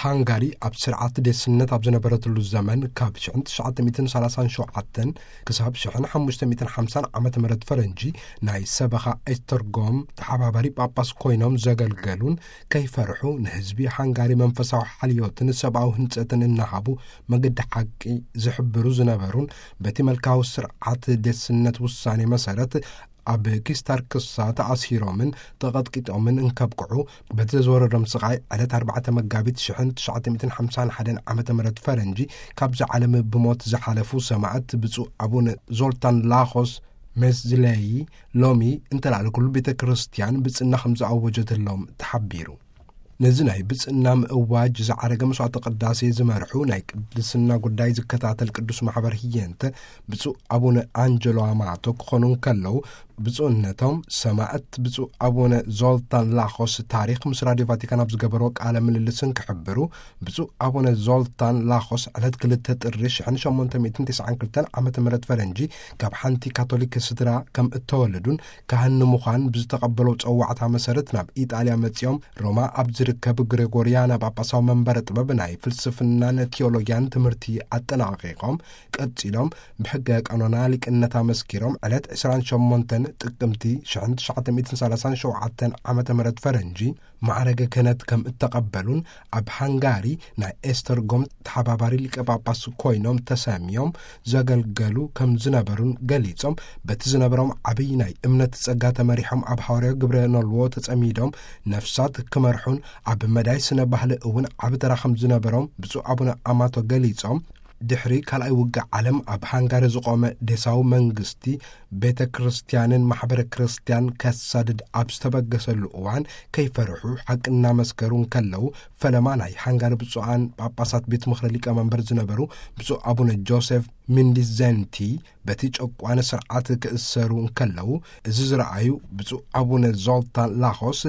ሃንጋሪ ኣብ ስርዓት ዴስነት ኣብ ዝነበረትሉ ዘመን፣ ካብ ሽሕን ትሽዓተ ሚእትን ሰላሳን ሸውዓተን ክሳብ ሽሕን ሓሙሽተ ሚእትን ሓምሳን ዓመተ ምህረት ፈረንጂ፣ ናይ ሰበኻ ኤስተርጎም ተሓባባሪ ጳጳስ ኮይኖም ዘገልገሉን፣ ከይፈርሑ ንህዝቢ ሃንጋሪ መንፈሳዊ ሓልዮትን ሰብኣዊ ህንጸትን እናሃቡ መገዲ ሓቂ ዝሕብሩ ዝነበሩን፣ በቲ መልካዊ ስርዓት ዴስነት ውሳኔ መሰረት ኣብ ኪስታር ክሳ ተኣሲሮምን ተቐጥቂጦምን እንከብቅዑ፣ በቲ ዘዝወረዶም ስቓይ ዕለት ኣርባዕተ መጋቢት ሽሕን ትሽዓተ ሚእትን ሓምሳን ሓደን ዓመተ ምህረት ፈረንጂ ካብዚ ዓለም ብሞት ዝሓለፉ ሰማዕት ብፁዕ ኣቡነ ዞልታን ላኾስ ሜዝለይ፣ ሎሚ እንተላዕሊ ኩሉ ቤተ ክርስቲያን ብጽና ከም ዝኣወጀትሎም ተሓቢሩ። ነዚ ናይ ብጽና ምእዋጅ ዝዓረገ መስዋዕተ ቅዳሴ ዝመርሑ ናይ ቅድስና ጉዳይ ዝከታተል ቅዱስ ማሕበር ህየንተ ብፁዕ ኣቡነ ኣንጀሎ ኣማቶ ክኾኑ እንከለዉ፣ ብፁዕነቶም ሰማዕት ብፁዕ ኣቡነ ዞልታን ላኾስ ታሪኽ ምስ ራድዮ ቫቲካን ኣብ ዝገበሮ ቃለ ምልልስን ክሕብሩ፣ ብፁዕ ኣቡነ ዞልታን ላኾስ ዕለት ክልተ ጥሪ ሽሕን ሸሞንተ ሚእትን ተስዓን ክልተን ዓመተ ምህረት ፈረንጂ ካብ ሓንቲ ካቶሊክ ስድራ ከም እተወለዱን ካህን ንምዃን ብዝተቐበሎ ጸዋዕታ መሰረት ናብ ኢጣልያ መጺኦም፣ ሮማ ኣብ ዝርከብ ግሬጎርያና ጳጳሳዊ መንበረ ጥበብ ናይ ፍልስፍናን ቲዮሎጊያን ትምህርቲ ኣጠናቒቖም፣ ቀጺሎም ብሕገ ቀኖና ሊቅነት ኣመስኪሮም፣ ዕለት ዕስራን ሸሞንተን ጥቅምቲ ሽሕን ትሽዓተ ሚእትን ሰላሳን ሸውዓተን ዓመተ ምህረት ፈረንጂ ማዕረገ ክህነት ከም እተቐበሉን፣ ኣብ ሃንጋሪ ናይ ኤስተርጎም ተሓባባሪ ሊቀ ጳጳስ ኮይኖም ተሰምዮም ዘገልገሉ ከም ዝነበሩን ገሊጾም፣ በቲ ዝነበሮም ዓብይ ናይ እምነት ጸጋ ተመሪሖም ኣብ ሃዋርያዊ ግብረ ኖልዎ ተጸሚዶም ነፍሳት ክመርሑን ኣብ መዳይ ስነ ባህሊ እውን ዓቢ ተራ ከም ዝነበሮም ብፁዕ ኣቡነ ኣማቶ ገሊጾም፣ ድሕሪ ካልኣይ ውግእ ዓለም ኣብ ሃንጋሪ ዝቖመ ዴሳዊ መንግስቲ ቤተ ክርስቲያንን ማሕበረ ክርስቲያን ከሳድድ ኣብ ዝተበገሰሉ እዋን፣ ከይፈርሑ ሓቂ እናመስከሩ እንከለዉ፣ ፈለማ ናይ ሃንጋሪ ብፁዓን ጳጳሳት ቤት ምኽሪ ሊቀመንበር ዝነበሩ ብፁዕ ኣቡነ ጆሴፍ ሚንዲዘንቲ በቲ ጨቋኒ ስርዓት ክእሰሩ እንከለዉ፣ እዚ ዝረኣዩ ብፁዕ ኣቡነ ዞልታን ላኾስ፣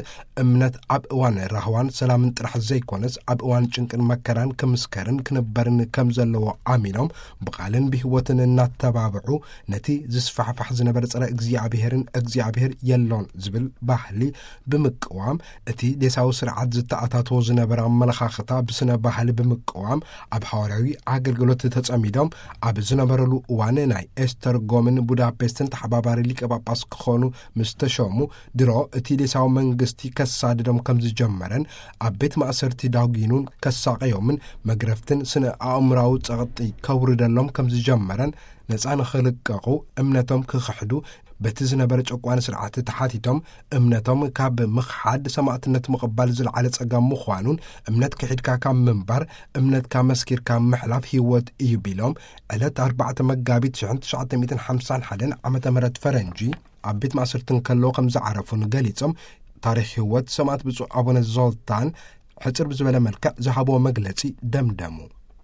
እምነት ኣብ እዋን ራህዋን ሰላምን ጥራሕ ዘይኮነስ፣ ኣብ እዋን ጭንቅን መከራን ክምስከርን ክንበርን ከም ዘለዎ ኣሚኖም፣ ብቓልን ብህይወትን እናተባብዑ፣ ነቲ ዝስፋሕፋሕ ዝነበረ ጸረ እግዚኣብሔርን እግዚኣብሔር የሎን ዝብል ባህሊ ብምቅዋም፣ እቲ ዴሳዊ ስርዓት ዝተኣታተዎ ዝነበረ ኣመለኻኽታ ብስነ ባህሊ ብምቅዋም፣ ኣብ ሃዋርያዊ ኣገልግሎት ተጸሚዶም ኣብ ዝነበረሉ እዋን፣ ናይ ኤስተርጎምን ቡዳፔስትን ተሓባባሪ ሊቀ ጳጳስ ክኾኑ ምስ ተሾሙ፣ ድሮ እቲ ዴሳዊ መንግስቲ ከሳድዶም ከም ዝጀመረን፣ ኣብ ቤት ማእሰርቲ ዳጒኑን ከሳቐዮምን፣ መግረፍትን ስነ ኣእምራዊ ጸቕጢ ከውርደሎም ከም ዝጀመረን፣ ነጻ ንኽልቀቑ፣ እምነቶም ክኽሕዱ፣ በቲ ዝነበረ ጨቋኒ ስርዓት ተሓቲቶም፣ እምነቶም ካብ ምኽሓድ ሰማዕትነት ምቕባል ዝለዓለ ጸገም ምዃኑን፣ እምነት ክሒድካ ካብ ምንባር፣ እምነትካ መስኪርካ ምሕላፍ ህይወት እዩ ቢሎም፣ ዕለት ኣርባዕተ መጋቢት ሽሕን ትሽዓተ ሚእትን ሓምሳን ሓደን ዓመተ ምህረት ፈረንጂ፣ ኣብ ቤት ማእሰርቲ እንከለዉ ከም ዝዓረፉን ገሊጾም፣ ታሪኽ ህይወት ሰማዕት ብፁዕ ኣቡነ ዞልታን ሕጽር ብዝበለ መልክዕ ዝሃብዎ መግለጺ ደምደሙ።